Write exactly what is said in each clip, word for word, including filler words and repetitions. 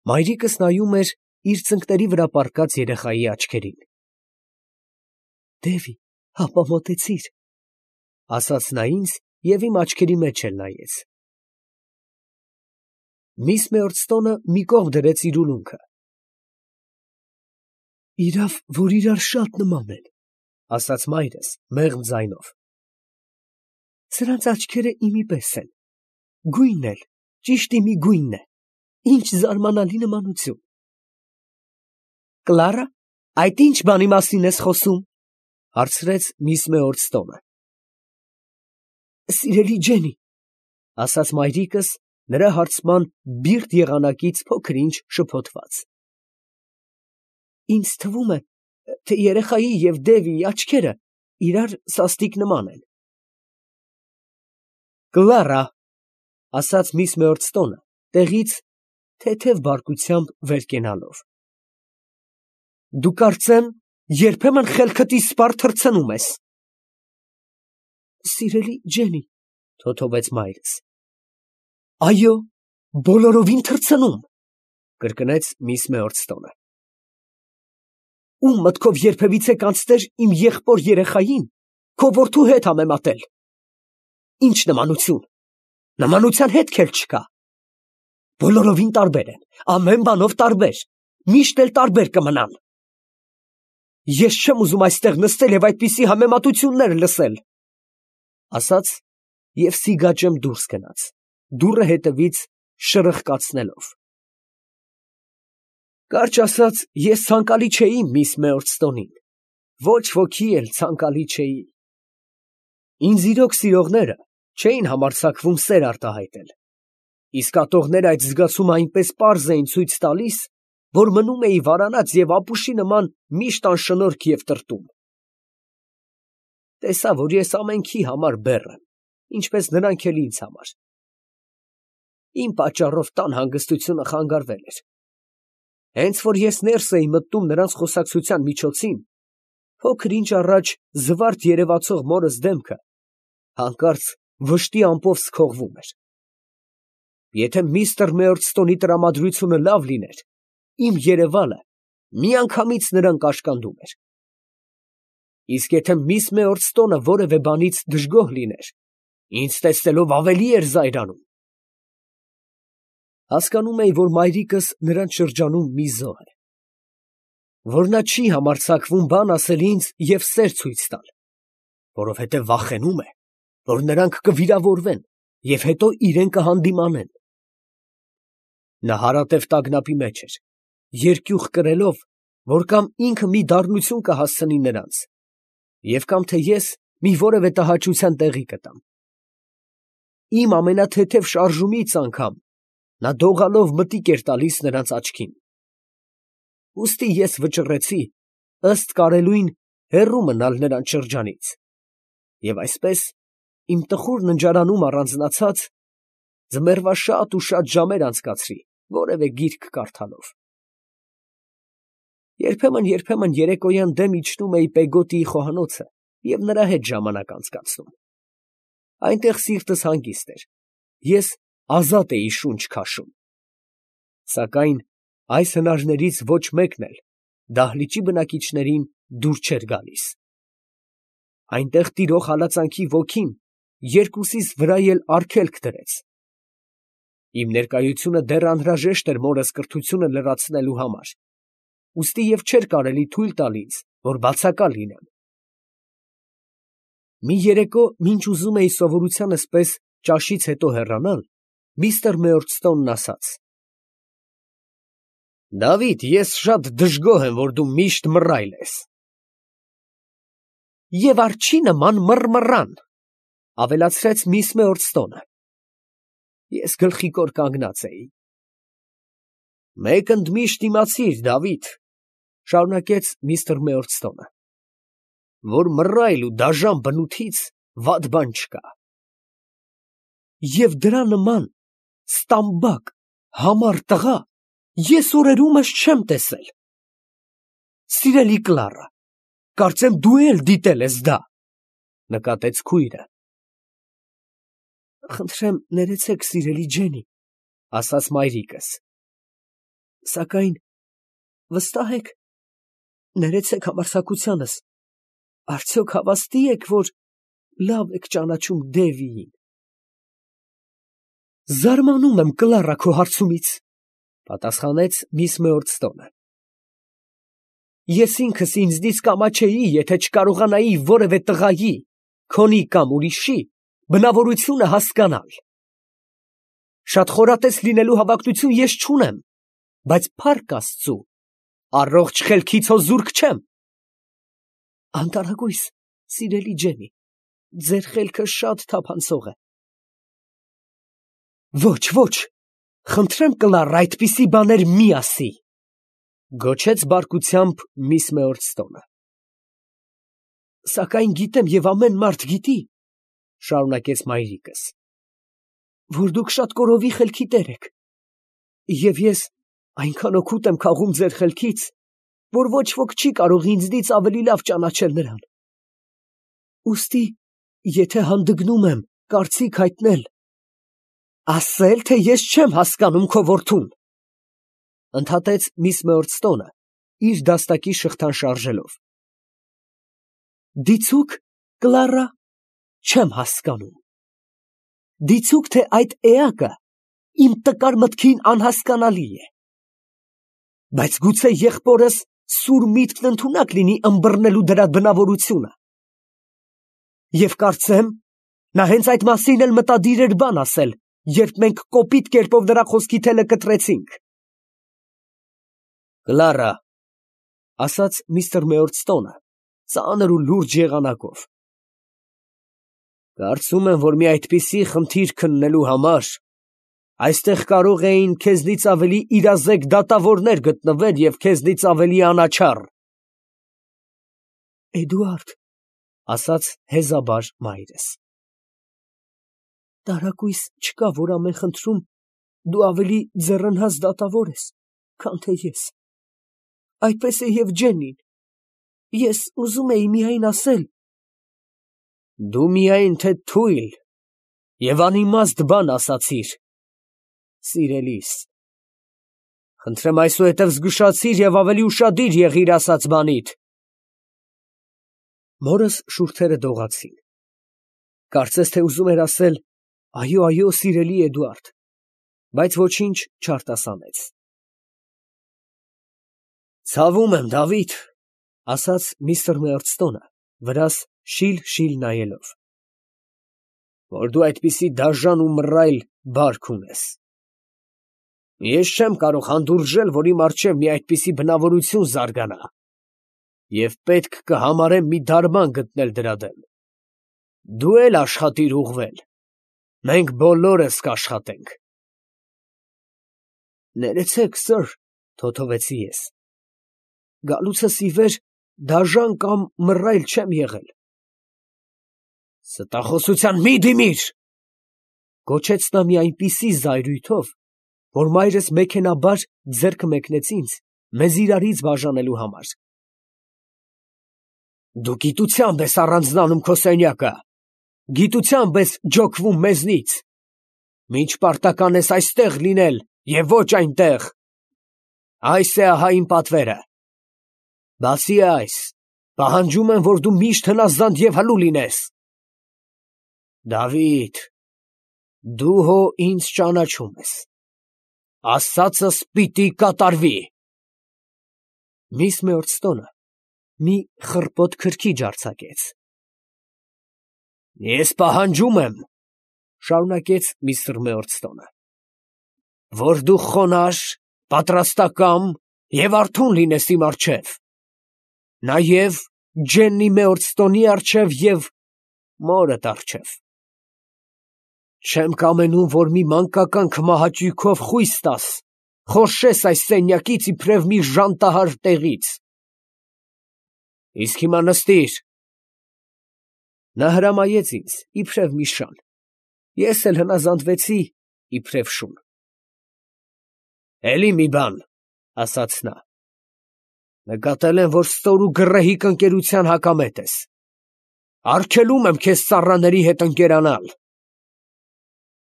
Մայրիկս նայում էր իր ծնկների վրա պառկած երեխայի աչքերին։ «Դևի, հապա մոտեցիր», ֊ ասաց նա ինձ և իմ աչքերի մեջ էլ նայեց։ Միս Մեորդստոնը մի կողմ դրեց իր ուլունքը։ «Իրավ, որ իրար շատ նման են, ֊ ասաց մայրս մեղմ ձայնով։ ֊ Սրանց աչքերը իմի պես են, գույնն էլ ճիշտ իմի գույնն է, ինչ զարմանալի նմանություն»։ «Կլարա, այդ ի՞նչ բանի մասին ես խոսում, ֊ հարցրեց միս Մեորդստոնը։ ֊ Սիրելի Ջենի, ֊ ասաց մայրիկս նրա հարցման բիրտ եղանակից փոքր ինչ շփոթված։ ֊ Ինձ թվում է, թե երեխայի և Դևիի աչքերը իրար սաստիկ նման են։ ֊ Կլարա, ֊ ասաց միս Մեորդստոնը տեղից թեթև բարկությամբ վեր կենալով, ֊ դու կարծեմ երբեմն խելքդ իսպառ թռցնում ես։ ֊ Սիրելի Ջենի, ֊ թոթվեց մայրս։ ֊ Այո, բոլորովին թռցնում, ֊ կրկնեց միս Մեորդստոնը։ ֊ Ո՞ւմ մտքով երբևիցե կանցներ իմ եղբոր երեխային քո որդու հետ համեմատել։ ֊ Ի՞նչ նմանություն, նմանության հետք էլ չկա։ Բոլորովին տարբեր են, ամեն բանով տարբեր, միշտ էլ տարբեր կմնան։ Ես չեմ ուզում այստեղ նստել և այդպիսի համեմատություններ լսել, ֊ ասաց և սիգաճեմ դուրս գնաց, դուռը հետևից շրխկացնելով։ Կարճ ասած, ես ցանկալի չէի միս Մեորդստոնին, ոչ ոքի էլ ցանկալի չէի։ Ինձ իրոք սիրողները չէին համարձակվում սեր արտահայտել, իսկ ատողները այդ զգացումը այնպես պարզ էին ցույց տալիս, որ մնում էի վարանած և ապուշի նման միշտ անշնորհք և տրտում։ Տեսա, որ ես ամենքի համար բեռ եմ, ինչպես նրանք էլ ինձ համար։ Իմ պատճառով տան հանգստությունը խանգարվել էր։ Հենց որ ես ներս էի մտնում նրանց խոսակցության միջոցին, փոքր ինչ առաջ զվարթ երևացող մորս դեմքը հանկարծ վշտի ամպով սքողվում էր։ Եթե միստր Մեորդստոնի տրամադրությունը լավ լիներ, իմ երևալը միանգամից նրան կաշկանդում էր։ Իսկ եթե միս Մեորդստոնը որևէ բանից դժգոհ լիներ, ինձ տեսնելով ավելի էր զայրանում։ Հասկանում էի, որ մայրիկս նրանց շրջանում մի զոհ է, որ նա չի համարձակվում բան ասել ինձ և սեր ցույց տալ, որովհետև վախենում է, որ նրանք կվիրավորվեն և հետո իրան կհանդիմանեն։ Նա հարատև տագնապի մեջ էր, երկյուղ կրելով, որ կամ ինքը մի դառնություն կհասցնի նրանց, և կամ թե ես մի որևէ տհաճության տեղի կտամ։ Իմ ամենաթեթև շարժումից անգամ նա դողալով մտիկ էր տալիս նրանց աչքին։ Ուստի ես վճռեցի, ըստ կարելույն, հեռու մնալ նրանց շրջանից, և այսպես, իմ տխուր ննջարանում առանձնացած, ձմեռվա շատ ու շատ ժամեր անցկացրի որևէ գիրք կարդալով։ Երբեմն֊երբեմն երեկոյան դեմ իջնում էի Պեգոտիի խոհանոցը և նրա հետ ժամանակ անցկացնում։ Այնտեղ սիրտս հանգիստ էր, ես ազատ էի շունչ քաշում։ Սակայն այս հնարներից ոչ մեկն էլ դահլիճի բնակիչներին դուր չէր գալիս։ Այնտեղ տիրող հալածանքի ոգին երկուսիս վրա էլ արգելք դրեց։ Իմ ներկայությունը դեռ անհրաժեշտ էր մորս կրթությունը լրացնելու համար, ուստի և չէր կարելի թույլ տալ ինձ, որ բացակալ լինեմ։ Մի երեկո, մինչ ուզում էի սովորությանս պես ճաշից հետո հեռանալ, միստր Մեորդստոնն ասաց. ֊ Դավիթ, ես շատ դժգոհ եմ, որ դու միշտ մռայլ ես։ ֊ Եվ արջի նման մռմռան, ֊ ավելացրեց միս Մեորդստոնը։ Ես գլխիկոր կանգնած էի։ ֊ Մեկ ընդմիշտ իմացիր, Դավիթ, ֊ շարունակեց միստր Մեորդստոնը, ֊ որ մռայլ ու դաժան բնութից վատ բան չկա։ Եվ դրա նման ստամբակ, համառ տղա ես օրերումս չեմ տեսել։ Սիրելի Կլարա, կարծեմ դու էլ դիտել ես դա, ֊ նկատեց քույրը։ ֊ Խնդրեմ ներեցեք, սիրելի Ջենի, ֊ ասաց մայրիկս։ Սակայն վստահ եք, ներեցեք համարձակությանս, արդյոք հավաստի եք, որ լավ եք ճանաչում Դևիին։ Զարմանում եմ, Կլարա, քո հարցումից, պատասխանեց միս Մեորդստոնը։ Ես ինքս ինձնից կամաչեի, եթե չկարողանայի որևէ տղայի, քոնի կամ ուրիշի բնավորությունը հասկանալ։ Շատ խորատես լինելու հավակնություն ես չունեմ, բայց փառք Աստծու, առողջ խելքից հո զուրկ չեմ։ Անտարակույս, սիրելի Ջենի, ձեր խելքը շատ թափանցող է։ Ոչ, ոչ, խնդրեմ, Կլարա, այդպիսի բաներ մի ասի, գոչեց բարկությամբ միս Մեորդստոնը։ Սակայն գիտեմ և ամեն մարդ գիտի, շարունակեց մայրիկս, որ դուք շատ կորովի խելքի տեր եք, և ես այնքան օգուտ եմ քաղում ձեր խելքից, որ ոչ ոք չի կարող ինձնից ավելի լավ ճանաչել նրան։ Ուստի, եթե հանդգնում եմ կարծիք հայտնել, ասել, թե ես չեմ հասկանում քո որդուն, ընդհատեց միս Մեորդստոնը, իր դաստակի շղթան շարժելով։ Դիցուք, Կլարա, չեմ հասկանում։ Դիցուք, թե այդ էակը իմ տկար մտքին անհասկանալի է։ Բայց գուցե եղբորս սուր միտքն ընդունակ լինի ըմբռնելու դրա բնավորությունը։ Եվ կարծեմ, նա հենց այդ մասին էլ մտադիր էր բան ասել, երբ մենք կոպիտ կերպով նրա խոսքի թելը կտրեցինք։ Կլարա, ասաց միստր Մեորդստոնը, ծանր ու լուրջ եղանակով, կարծում եմ, որ մի այդպիսի խնդիր քննելու համար այստեղ կարող էին քեզնից ավելի իրազեկ դատավորներ գտնվել և քեզնից ավելի անաչառ։ Էդուարդ, ասաց հեզաբար մայրս, տարակույս չկա, որ ամեն խնդրում դու ավելի ձեռնհաս դատավոր ես, քան թե ես։ Այդպես է և Ջենին, ես ուզում էի միայն ասել… Դու միայն թե թույլ և անիմաստ բան ասացիր, սիրելիս, խնդրեմ այսուհետև զգուշացիր և ավելի ուշադիր եղիր ասած բանիդ։ Մորս շուրթերը դողացին, կարծես թե ուզում էր ասել. այո, այո, սիրելի Էդուարդ, բայց ոչինչ չարտասանեց։ Ցավում եմ, Դավիթ, ասաց միստր Մեորդստոնը, վրաս շիլ֊շիլ նայելով, որ դու այդպիսի դաժան ու մռայլ բարք ունես։ Ես չեմ կարող հանդուրժել, որ իմ առջև մի այդպիսի բնավորություն զարգանա, և պետք կհամարեմ մի դարման գտնել դրա դեմ։ Դու էլ աշխատիր ուղղվել, մենք բոլորս կաշխատենք։ Ներեցեք, սըր, թոթովեցի ես, գալուցս ի վեր դաժան կամ մռայլ չեմ եղել։ Ստախոսության մի դիմիր, գոչեց նա մի այնպիսի զայրույթով, որ մայրս մեքենաբար ձեռքը մեկնեց ինձ, մեզ իրարից բաժանելու համար։ Դու գիտությամբ ես առանձնանում քո սենյակը, գիտությամբ ես ջոկվում մեզնից, մինչ պարտական ես այստեղ լինել և ոչ այնտեղ։ Այս է ահա իմ պատվերը։ Բացի այս, պահանջում եմ, որ դու միշտ հնազանդ և հլու լինես։ Դավիթ, դու հո ինձ ճանաչում ես, ասածս պիտի կատարվի։ Միս Մեորդստոնը մի խռպոտ քրքիջ արձակեց։ Ես պահանջում եմ, շարունակեց միստր Մեորդստոնը, որ դու խոնարհ, պատրաստակամ և արթուն լինես իմ առջև, նաև Ջեննի Մեորդստոնի առջև և մորդ առջև։ Չեմ կամենում, որ մի մանկական քմահաճույքով խույս տաս, խորշես այս սենյակից իբրև մի ժանտահար տեղից։ Իսկ հիմա նստիր։ Նա հրամայեց ինձ, իբրև մի շան, ես էլ հնազանդվեցի, իբրև շուն։ Էլի մի բան, ասաց նա, նկատել եմ, որ ստոր ու գռեհիկ ընկերության հակամետ ես, արգելում եմ քեզ ծառաների հետ ընկերանալ։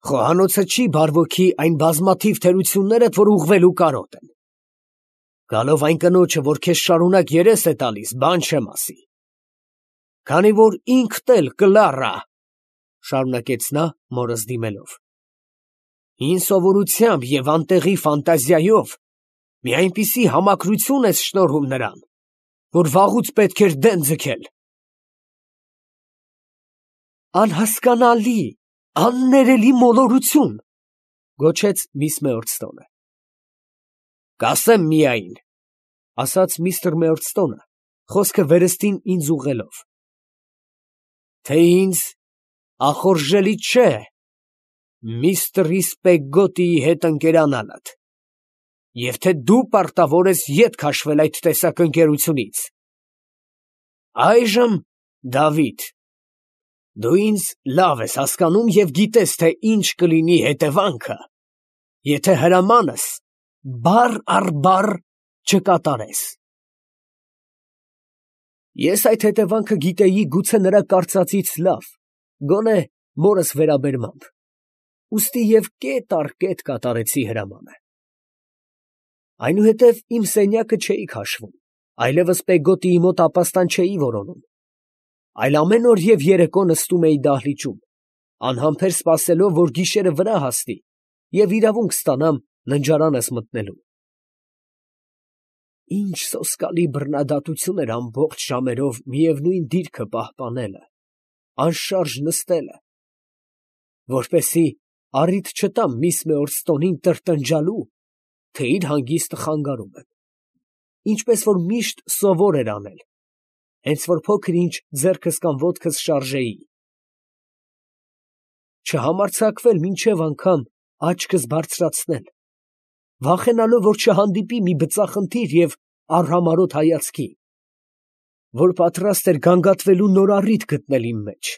Խոհանոցը չի բարվոքի այն բազմաթիվ թերություններդ, որ ուղղվելու կարոտ են։ Գալով այն կնոջը, որ քեզ շարունակ երես է տալիս, բան չեմ ասի։ Քանի որ ինքդ էլ կլառա, շարունակեց նա մորս դիմելով։ Հին սովորությամբ և անտեղի ֆանտազիայով մի այնպիսի համակրություն ես շնորհում նրան, որ վաղուց պետք էր դեն ձգել։ Անհասկանալի, աններելի մոլորություն, գոչեց միս Մեորցտոնը։ Կասեմ միայն, ասաց միստր Մեորցտոնը, խոսքը վերստին ինձ ուղղելով, թե ինձ ախորժելի չէ միստր Պեգոտիի հետ ընկերանալդ, և թե դու պարտավոր ես ետ քաշվել այդ տեսակ ընկերությունից։ Այժմ, Դավիթ, դու ինձ լավ ես հասկանում և գիտես, թե ինչ կլինի հետևանքը, եթե հրամանս բառ առ բառ չկատարես։ Ես այդ հետևանքը գիտեի գուցե նրա կարծածից լավ, գոնե մորս վերաբերմամբ, ուստի և կետ առ կետ կատարեցի հրամանը։ Այնուհետև իմ սենյակը չէի քաշվում, այլևս Պեգոտիի մոտ ապաստան չէի որոնում, այլ ամեն օր և երեկո նստում էի դահլիճում, անհամբեր սպասելով, որ գիշերը վրա հասնի և իրավունք ստանամ ննջարանս մտնելու։ Ինչ սոսկալի բռնադատություն էր ամբողջ ժամերով միևնույն դիրքը պահպանելը, անշարժ նստելը, որպեսզի առիթ չտամ միս Մեորցտոնին տրտնջալու, թե իր հանգիստը խանգարում եմ, ինչպես որ միշտ սովոր էր անել, հենց որ փոքր ինչ ձեռքս կամ ոտքս շարժեի, չհամարձակվել մինչև անգամ աչքս բարձրացնել, վախենալով, որ չհանդիպի մի բծախնդիր և արհամարհոտ հայացքի, որ պատրաստ էր գանգատվելու նոր առիթ գտնել իմ մեջ։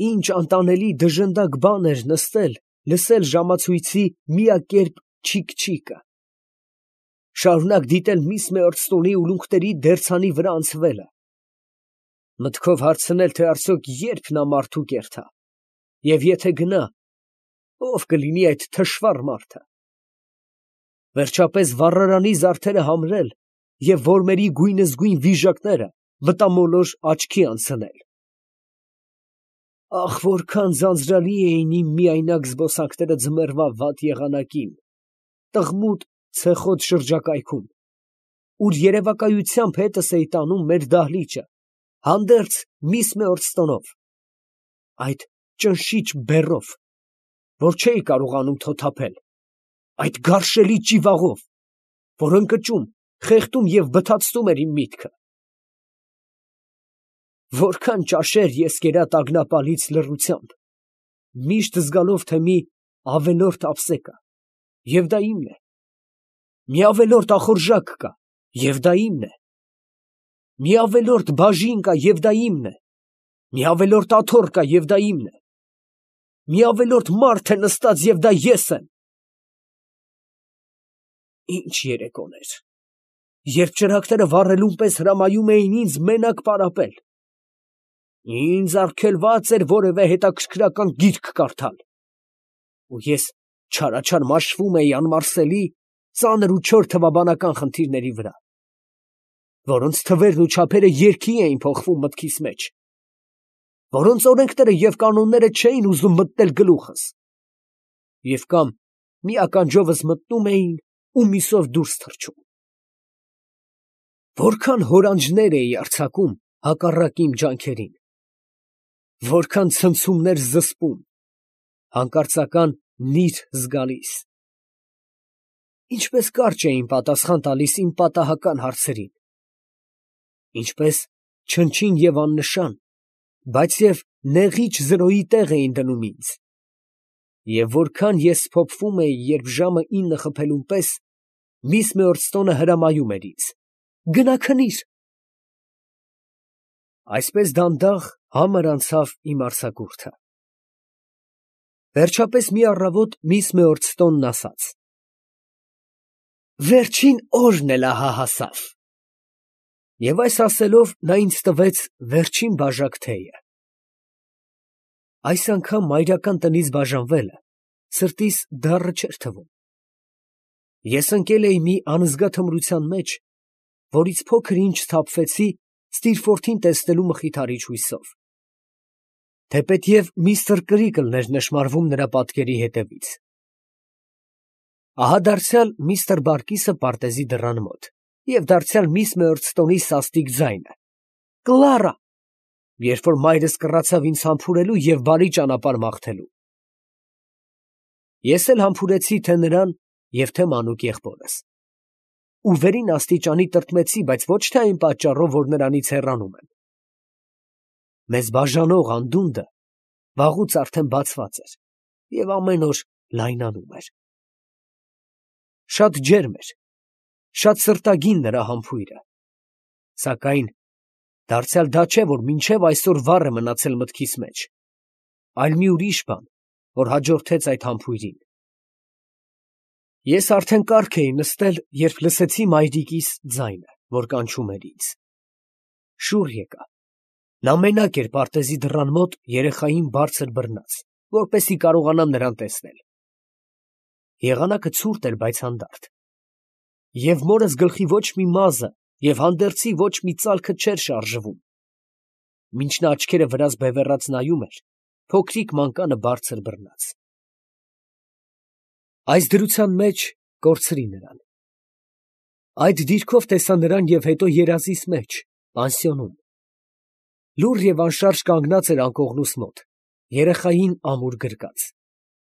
Ինչ անտանելի դժնդակ բան էր նստել, լսել ժամացույցի միակերպ չիք֊չիկը, շարունակ դիտել միս Մեորցտոնի ուլունքների դերձանի վրա անցվելը, մտքով հարցնել, թե արդյոք երբ նա մարդու կերտա, և եթե գնա, ով կլինի այդ թշվառ մարդը, վերջապես վառարանի զարդերը համրել և որմերի գույնզգույն վիժակները մտամոլոր աչքի անցնել։ Ախ, որքան ձանձրալի էին իմ միայնակ զբոսանքները ձմեռվա վատ եղանակին, տղմուտ ցեխոտ շրջակայքում, ուր երևակայությամբ հետս էի տանում մեր դահլիճը, հանդերձ միս Մեորցտոնով, այդ ճնշիչ բեռով, որ չէի կարողանում թոթափել, այդ գարշելի ճիվաղով, որ ընկճում, խեղդում և բթացնում էր իմ միտքը։ Որքան ճաշեր ես կերա տագնապալից լռությամբ, միշտ զգալով, թե մի ավելորդ ափսե կա, և դա իմն է, մի ավելորդ ախորժակ կա, և դա իմն է, մի ավելորդ բաժին կա, և դա իմն է, մի ավելորդ աթոռ կա, և դա իմն է, մի ավելորդ մարդ է նստած, և դա ես եմ։ Ինչ երեկոներ, երբ ճրագները վառելուն պես հրամայում էին ինձ մենակ պարապել, ինձ արգելված էր որևէ հետաքրքրական գիրք կարդալ, ու ես չարաչար մաշվում էի անմարսելի, ծանր ու չոր թվաբանական խնդիրների վրա, որոնց թվերն ու չափերը երգի էին փոխվում մտքիս մեջ, որոնց օրենքները և կանոնները չէին ուզում մտնել գլուխս, և կամ մի ականջովս մտնում էին ու մյուսով դուրս թռչում։ Որքան հորանջներ էի արձակում հակառակ իմ ջանքերին, որքան ցնցումներ զսպում, հանկարծական նիր զգալիս, ինչպես կարճ էին պատասխան տալիս իմ պատահական հարցերին, ինչպես չնչին և աննշան, բայց և նեղիչ զրոյի տեղ էին դնում ինձ, և որքան ես փոփվում էի, երբ ժամը ինը խփելուն պես միս Մեորցտոնը հրամայում էր ինձ. «Գնա քնիր»։ Այսպես դանդաղ համր անցավ իմ արձակուրդը։ Վերջապես մի առավոտ միս Մեորցտոնն ասաց. «Վերջին օրն էլ ահա հասավ», և այս ասելով նա ինձ տվեց վերջին բաժակ թեյը։ Այս անգամ մայրական տնից բաժանվելը սրտիս դառը չէր թվում, Ես ընկել էի մի անզգա թմրության մեջ, որից փոքր ինչ սթափվեցի Ստիրֆորդին տեսնելու մխիթարիչ հույսով, թեպետև միստր Կրիկլն էր նշմարվում նրա պատկերի հետևից։ Ահա դարձյալ միստր Բարկիսը պարտեզի դռան մոտ, և դարձյալ միս Մեորցտոնի սաստիկ ձայնը. «Կլարա», երբ որ մայրս կռացավ ինձ համբուրելու և բարի ճանապարհ մաղթելու։ Ես էլ համբուրեցի թե նրան և թե մանուկ եղբորս, ու վերին աստիճանի տրտմեցի, բայց ոչ թե այն պատճառով, որ նրանից հեռանում եմ. մեզ բաժանող անդունդը վաղուց արդեն բացված էր և ամեն օր լայնանում էր։ Շատ ջերմ էր, շատ սրտագին նրա համբույրը, սակայն դարձյալ դա չէ, որ մինչև այսօր վառ է մնացել մտքիս մեջ, այլ մի ուրիշ բան, որ հաջորդեց այդ համբույրին։ Ես արդեն կառք էի նստել, երբ լսեցի մայրիկիս ձայնը, որ կանչում էր ինձ։ Շուռ եկա. նա մենակ էր պարտեզի դռան մոտ երեխային բարձր բռնած, որպեսզի կարողանամ նրան տեսնել։ Եղանակը ցուրտ էր, բայց հանդարտ, և մորս գլխի ոչ մի մազը և հանդերձի ոչ մի ծալքը չէր շարժվում, մինչ նա աչքերը վրաս բևեռած նայում էր փոքրիկ մանկանը բարձր բռնած։ Այս դրության մեջ կորցրի նրան։ Այդ դիրքով տեսա նրան և հետո երազիս մեջ, պանսիոնում, լուռ և անշարժ կանգնած էր անկողնուս մոտ, երեխային ամուր գրկած,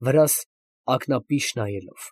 վրաս ակնապիշ նայելով։